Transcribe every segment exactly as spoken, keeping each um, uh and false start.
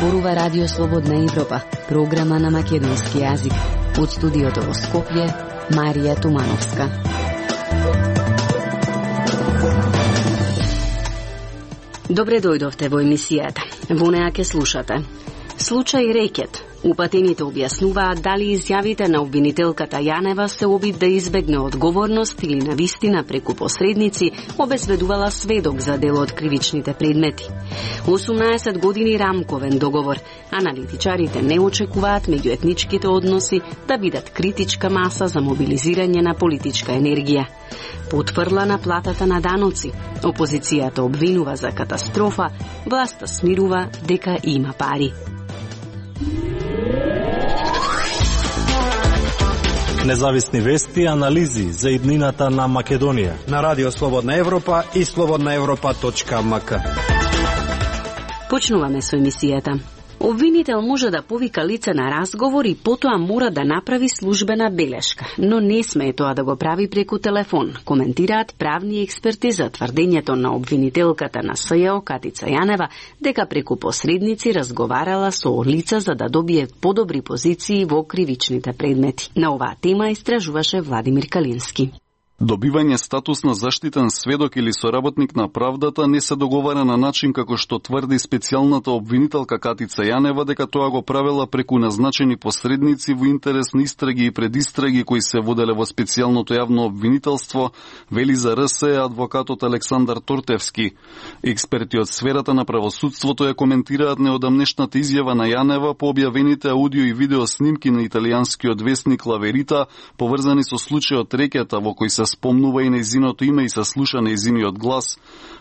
зборува Радио Слободна Европа, програма на македонски јазик. Од студиото во Скопје, Марија Тумановска. Добре дојдовте во емисијата. Во неа ќе слушате случај Рекет. Упатените објаснуваат дали изјавите на обвинителката Јанева се обид да избегне одговорност или навистина преку посредници обезбедувала сведок за дел од кривичните предмети. осумнаесет години рамковен договор. Аналитичарите не очекуваат меѓуетничките односи да бидат критичка маса за мобилизирање на политичка енергија. Потврла на платата на даноци. Опозицијата обвинува за катастрофа, власта смирува дека има пари. Независни вести и анализи за иднината на Македонија на Радио Слободна Европа и слободна европа точка ем ка. Почнуваме со емисијата. Обвинител може да повика лице на разговор и потоа мора да направи службена белешка, но не смее тоа да го прави преку телефон, коментираат правни експерти за тврдењето на обвинителката на СЈО Катица Јанева дека преку посредници разговарала со лица за да добие подобри позиции во кривичните предмети. На оваа тема истражуваше Владимир Калински. Добивање статус на заштитен сведок или соработник на правдата не се договара на начин како што тврди специјалната обвинителка Катица Јанева дека тоа го правела преку назначени посредници во интерес на истраги и предистраги кои се воделе во специјалното јавно обвинителство, вели за РС адвокатот Александар Тортевски. Експерти од сферата на правосудството ја коментираат неодамнешната изјава на Јанева по објавените аудио и видео снимки на италијанскиот весник Ла Верита, поврзани со случајот Рекета во кој се спомнува и нејзиното име и се слуша нејзиниот глас.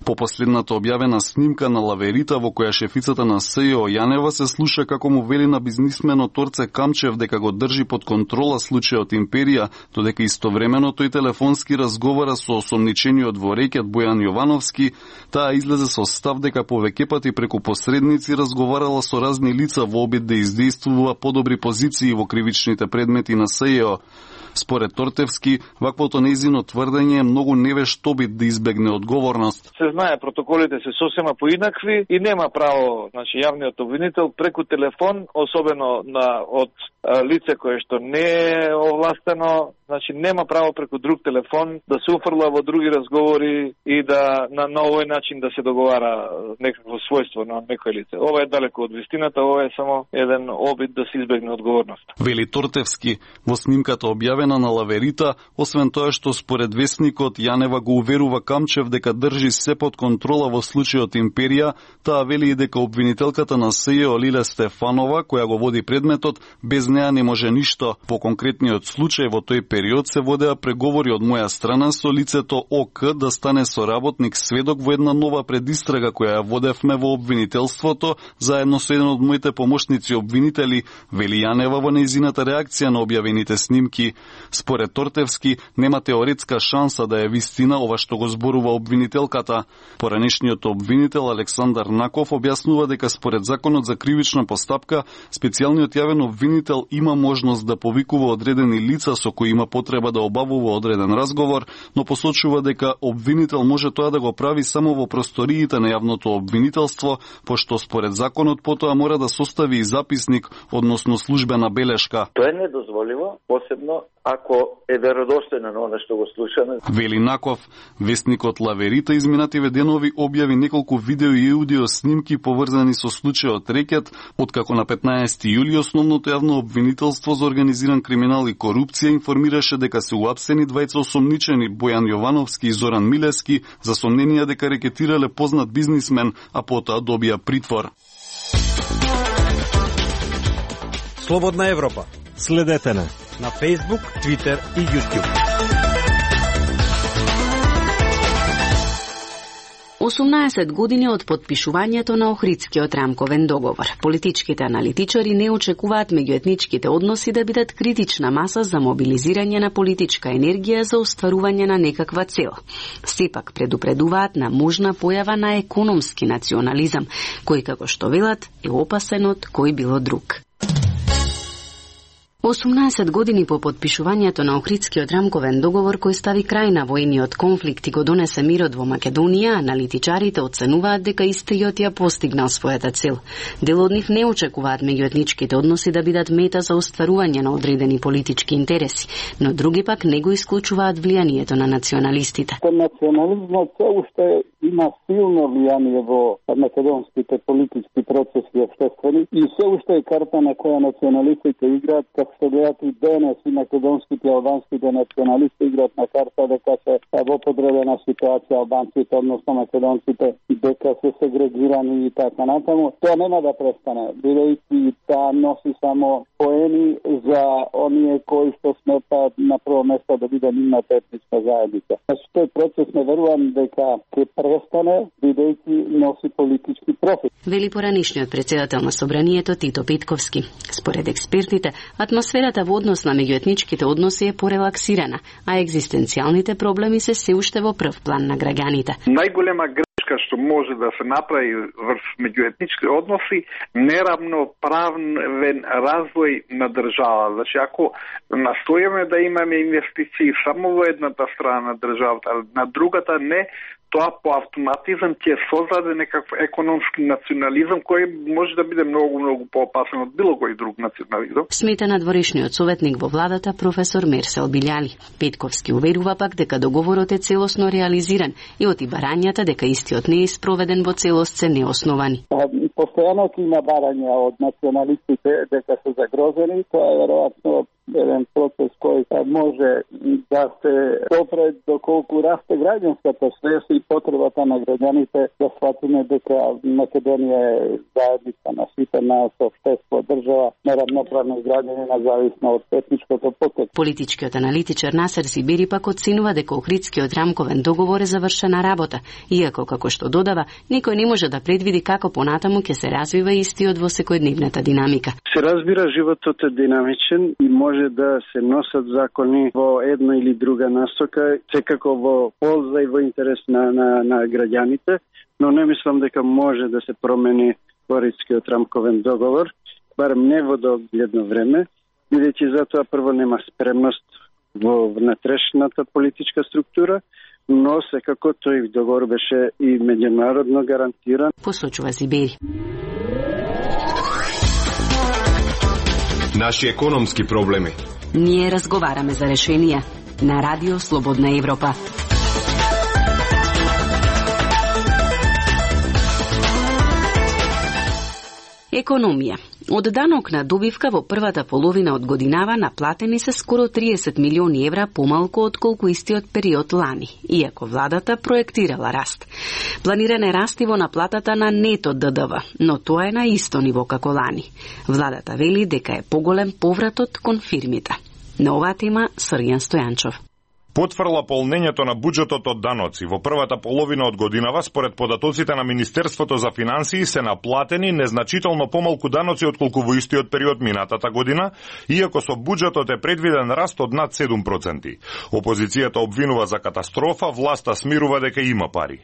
По последната објавена снимка на Ла Верита во која шефицата на СЈО Јанева се слуша како му вели на бизнисменот Торце Камчев дека го држи под контрола случајот Империја, додека истовремено тој телефонски разговара со осомничениот во Рекет Бојан Јовановски, таа излезе со став дека повеќе пати преку посредници разговарала со разни лица во обид да издействува подобри позиции во кривичните предмети на СЈО. Според Тортевски, ваквото нејзино тврдење е многу невешт обид да избегне одговорност. Се знае, протоколите се сосема поинакви и нема право, значи, јавниот обвинител преку телефон, особено на од а, лице кое што не е овластено, значи нема право преку друг телефон да се уфрла во други разговори и да на, на овој начин да се договара некакво својство на некој лице. Ова е далеко од вистината, ова е само еден обид да се избегне одговорност. Вели Тортевски, во снимката објавена на Ла Верита, освен тоа што според весникот Јанева го уверува Камчев дека држи се под контрола во случајот Империја, таа вели и дека обвинителката на СЈО Лиле Стефанова, која го води предметот, без неа не може ништо. По конкретниот случај во тој период се водеа преговори од моја страна со лицето ОК да стане соработник сведок во една нова предистрага која ја водевме во обвинителството заедно со еден од моите помошници обвинители, вели Јанева во нејзината реакција на објавените снимки. Според Тортевски, нема теоретска шанса да е вистина ова што го зборува обвинителката. Поранешниот обвинител Александар Наков објаснува дека според законот за кривична постапка, специјалниот јавен обвинител има можност да повикува одредени лица со кои има потреба да обавува одреден разговор, но посочува дека обвинител може тоа да го прави само во просториите на јавното обвинителство, пошто според законот потоа мора да состави и записник, односно службена белешка. Тоа е недозволиво, посебно ако е веродостојно на она што го слушаме. Вели Наков, весникот Ла Верита изминативе денови објави неколку видео и аудио снимки поврзани со случајот Рекет, откако на петнаесети јули основното јавно обвинителство за организиран криминал и корупција информираше дека се уапсени двајца осомничени Бојан Јовановски и Зоран Милевски за сомненија дека рекетирале познат бизнисмен, а потоа добија притвор. Слободна Европа. Следете на на Facebook, Twitter и YouTube. осумнаесет години од потпишувањето на Охридскиот рамковен договор. Политичките аналитичари не очекуваат меѓуетничките односи да бидат критична маса за мобилизирање на политичка енергија за остварување на некаква цел. Сепак предупредуваат на можна појава на економски национализам, кој, како што велат, е опасен од кој било друг. осумнаесет години по подпишувањето на Охридскиот рамковен договор кој стави крај на војниот конфликт и го донесе мирот во Македонија, аналитичарите оценуваат дека истиот ја постигнал својата цел. Дел од нив не очекуваат меѓуетничките односи да бидат мета за остварување на одредени политички интереси, но други пак не го исклучуваат влијанието на националистите. Национализмот се уште има силно влијание во македонските политички процеси и обществени и се уште е карта на која националистите играат. Како се гледат и денес и македонските и албанските националисти играат на карта дека се во подредена ситуација албанците, односно македонците, дека се сегрегирани и така натаму. Тоа нема да престане, бидејќи таа носи само поени за оние кои што сметаат на прво место да биде нивната етничка заедница. Значи тој процес не верувам дека ќе престане, бидејќи носи политички профит. Вели поранишниот председател на Собранието Тито Петковски. Според експертите, атмосферата во однос на меѓуетничките односи е порелаксирана, а екзистенцијалните проблеми се се уште во прв план на граѓаните. Најголема грешка што може да се направи врз меѓуетнички односи, неравноправен развој на држава. Значи, ако настојаме да имаме инвестиции само во едната страна на државата, а на другата не, тоа по автоматизам ќе создаде некаков економски национализам кој може да биде многу многу поопасен од било кој друг национализам. Смета надворешниот советник во владата професор Мерсел Билјали. Петковски уверува пак дека договорот е целосно реализиран и оти барањата дека истиот не е спроведен во целост се неосновани. Постојано има барања од националистите дека се загрозени, тоа е веројатно еден процес кој може да се допре доколку расте граѓанската свест и потребата на граѓаните да сватиме дека Македонија е заедница на наситена со општество, држава, неравноправни граѓани независно од етничкото потек. Политичкиот аналитичар Насер Сибири пак оценува дека Охридскиот рамковен договор е завршена работа, иако како што додава, никој не може да предвиди како понатаму ќе се развива истиот во секојдневната динамика. Се разбира, животот е динамичен и може да се носат закони во една или друга насока, секако во полза и во интерес на, на, на граѓаните, но не мислам дека може да се промени Охридскиот рамковен договор, барем не во догледно време, бидејќи затоа прво нема спремност во внатрешната политичка структура, но секако тој договор беше и меѓународно гарантиран. Посочува Сибири. Наши економски проблеми. Ние разговараме за решенија на Радио Слободна Европа. Економија. Од данок на добивка во првата половина од годинава наплатени се скоро триесет милиони евра помалку од колку истиот период лани, иако владата проектирала раст. Планиран е раст и во наплатата на нето Д Д В, но тоа е на исто ниво како лани. Владата вели дека е поголем повратот кон фирмите. На оваа тема Срѓан Стојанчов. Потврла полнењето на буџетот од даноци во првата половина од годинава, според податоците на Министерството за финансии, се наплатени незначително помалку даноци отколку во истиот период минатата година, иако со буџетот е предвиден раст од над седум проценти. Опозицијата обвинува за катастрофа, власта смирува дека има пари.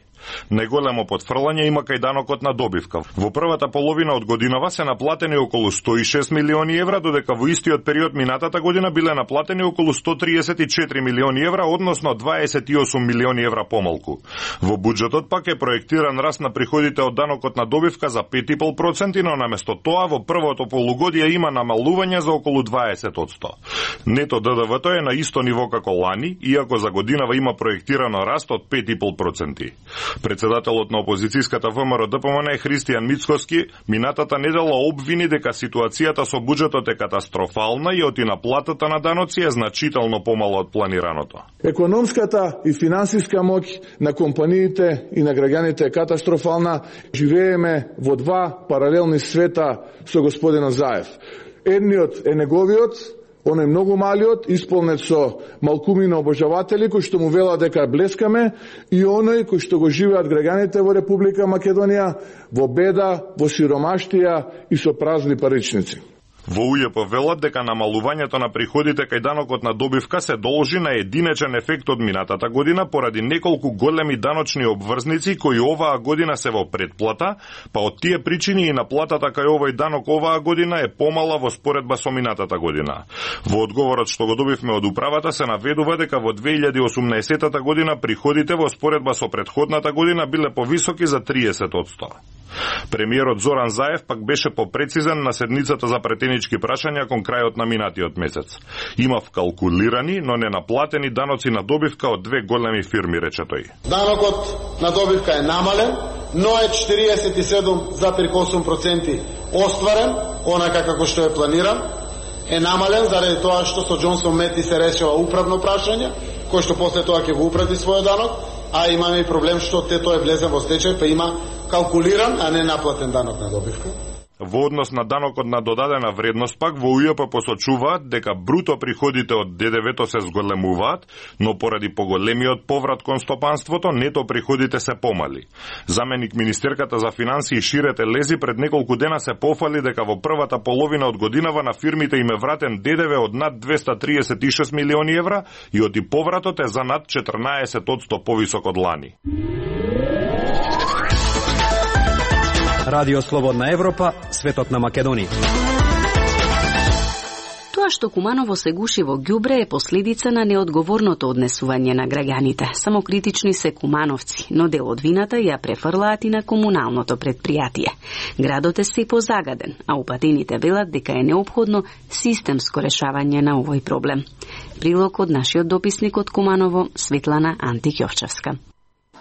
Најголемо потфрлање има кај данокот на добивка. Во првата половина од годинава се наплатени околу сто и шест милиони евра, додека во истиот период минатата година биле наплатени околу сто триесет и четири милиони евра, односно дваесет и осум милиони евра помалку. Во буџетот пак е проектиран раст на приходите од данокот на добивка за пет и пол проценти, но наместо тоа во првото полугодие има намалување за околу дваесет одсто. Нето Д Д В-то е на исто ниво како лани, иако за годинава има проектирано раст од пет и пол проценти. Председателот на опозицијската Вэ М Р Д П М Н Христијан Мицкоски минатата недела обвини дека ситуацијата со буџетот е катастрофална и оти наплатата на даноци е значително помало од планираното. Економската и финансиска моќ на компаниите и на граѓаните е катастрофална. Живееме во два паралелни света со господинот Заев. Едниот е неговиот, оној многу малиот, исполнет со малкумина обожаватели кои што му велат дека блескаме, и оној кој што го живеат граѓаните во Република Македонија во беда, во сиромаштија и со празни паричници. Во У Ј П велат дека намалувањето на приходите кај данокот на добивка се должи на единечен ефект од минатата година поради неколку големи даночни обврзници кои оваа година се во предплата, па од тие причини и наплатата кај овој данок оваа година е помала во споредба со минатата година. Во одговорот што го добивме од управата се наведува дека во две илјади и осумнаесетата година приходите во споредба со претходната година биле повисоки за триесет одсто. Премиерот Зоран Заев пак беше попрецизен на седницата за претенички прашања кон крајот на минатиот месец. Имав калкулирани, но не наплатени даноци на добивка од две големи фирми, рече тој. Данокот на добивка е намален, но е четириесет и седум зарез осум проценти остварен, онака како што е планиран. Е намален заради тоа што со Џонсон Мети се решава управно прашање, кој што после тоа ќе го упрати својот данок, а имаме и проблем што те тоа е влезен во стечај, па има калкулиран, а не наплатен данок на добивка. Во однос на данокот на додадена вредност пак, во У Ј П посочуваат дека бруто приходите од Д Д В-то се зголемуваат, но поради поголемиот поврат кон стопанството, нето приходите се помали. Заменик министерката за финансии Ширете Лези пред неколку дена се пофали дека во првата половина од годинава на фирмите им е вратен Д Д В од над двеста триесет и шест милиони евра и оти повратот е за над четрнаесет одсто повисок од лани. Радио Слободна Европа, светот на Македонија. Тоа што Куманово се гуши во ѓубре е последица на неодговорното однесување на граѓаните. Самокритични се кумановци, но дел од вината ја префрлаат и на комуналното предпријатие. Градот е се позагаден, а упатените велат дека е неопходно системско решавање на овој проблем. Прилог од нашиот дописник од Куманово, Светлана Антик-Јовчевска.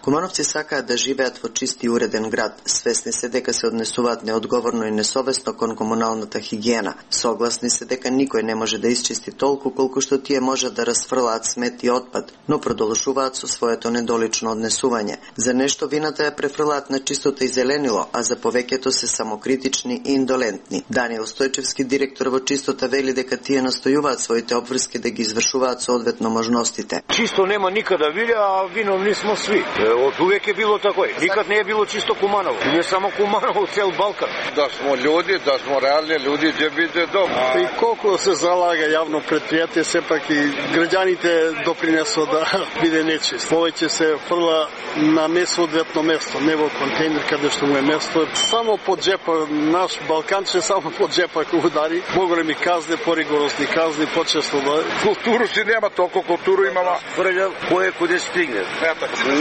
Кумановци сакаат да живеат во чист и уреден град, свесни се дека се однесуваат неодговорно и несовесно кон комуналната хигиена. Согласни се дека никој не може да исчисти толку колку што тие можат да расфрлаат смет и отпад, но продолжуваат со своето недолично однесување. За нешто вината ја префрлаат на чистото и зеленило, а за повеќето се самокритични и индолентни. Даниел Стојчевски, директор во Чистота, вели дека тие настојуваат своите обврски да ги извршуваат соодветно можностите. Чисто нема никаде да види, а виновни смо сви. Од увек е било такој. Никад не е било чисто Куманово. Не само Куманово, цел Балкан. Да смо луѓе, да смо реални луѓе, ќе биде добро. И колку се залага јавно предпријатие, сепак и граѓаните допринесо да биде нечист. Повеќе се фрла на несоодветно место, не во контейнер каде што му е место. Само под джепа, наш Балканче само под джепа ко удари. Поголеми казни, поригорозни казни, почесто да. Културу си нема, толку културу имала. Фрля, кој куде стигне.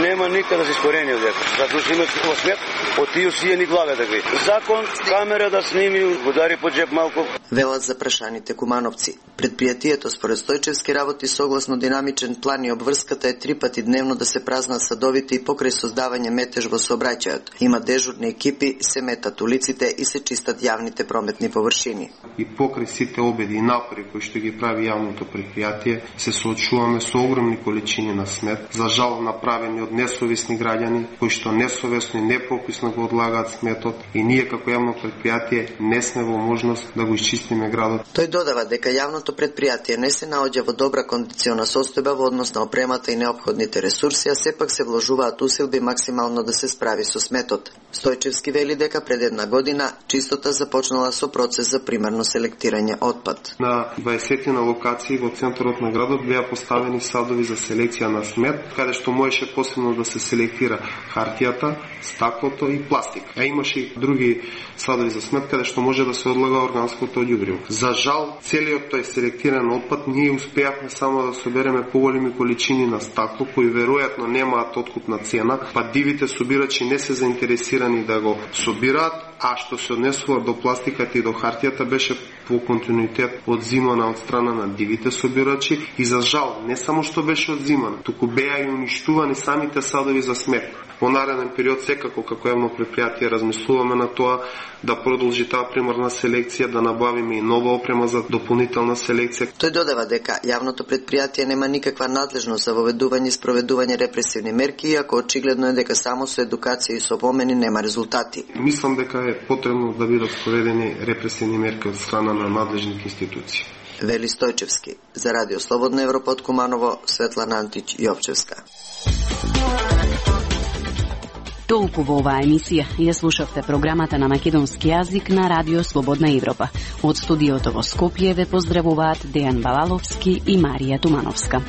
Нема никаде да се искорени од дека. Затоа што имат во смет, од тие сијени главе да ги. Закон, камера да сними, удари по джеб малку. Велат за прашаните кумановци. Предпријатието според Стојчевски работи согласно динамичен план и обврската е три пати дневно да се празнат садовите и покрај создавање метеж во сообраќајот. Има дежурни екипи, се метат улиците и се чистат јавните прометни површини. И покрај сите обеди и напори кои што ги прави јавното предпријатие, се соочуваме со огромни количини на смет, за жал направени од несовесни граѓани кои што несовесно и непрописно го одлагаат сметот и ние како јавно предпријатие не сме во можност да го исчистиме градот. Тој додава дека јавното предпријатие не се наоѓа во добра кондициона состојба во однос на опремата и неопходните ресурси, а сепак се вложуваат усилби максимално да се справи со сметот. Стојчевски вели дека пред една година Чистота започнала со процес за примерно селектирање отпад. На дваесет на локации во центарот на градот беа поставени садови за селекција на смет, каде што можеше посебно да се селектира хартијата, стаклото и пластик. А имаше и други садови за смет каде што може да се одлага органското ѓубриво. За жал, целиот тој селектиран отпад ние успеавме само да собереме поголеми количини на стакло кои веројатно немаат откупна цена, па дивите собирачи не се заинтересирани да го собираат, а што се однесува до пластиката и до хартијата беше по континуитет одзимана од страна на дивите собирачи и за жал не само што беше одзимана, туку беа и уништувани самите садови за смет. Во нареден период секако како јавно предпријатие размислуваме на тоа да продолжи таа примерна селекција, да набавиме и нова опрема за дополнителна селекција. Тој додава дека јавното предпријатие нема никаква надлежност за воведување и спроведување репресивни мерки, иако очигледно е дека само со едукација и со помени нема резултати. Мислам дека е потребно да бидат спроведени репресивни мерки од страна на надлежните институции. Вели Стојчевски. За Радио Слободна Европа од Куманово, Светлана Антич-Јовчевска. Толку во оваа емисија ја слушавте програмата на македонски јазик на Радио Слободна Европа. Од студиото во Скопје ве поздравуваат Дејан Балаловски и Марија Тумановска.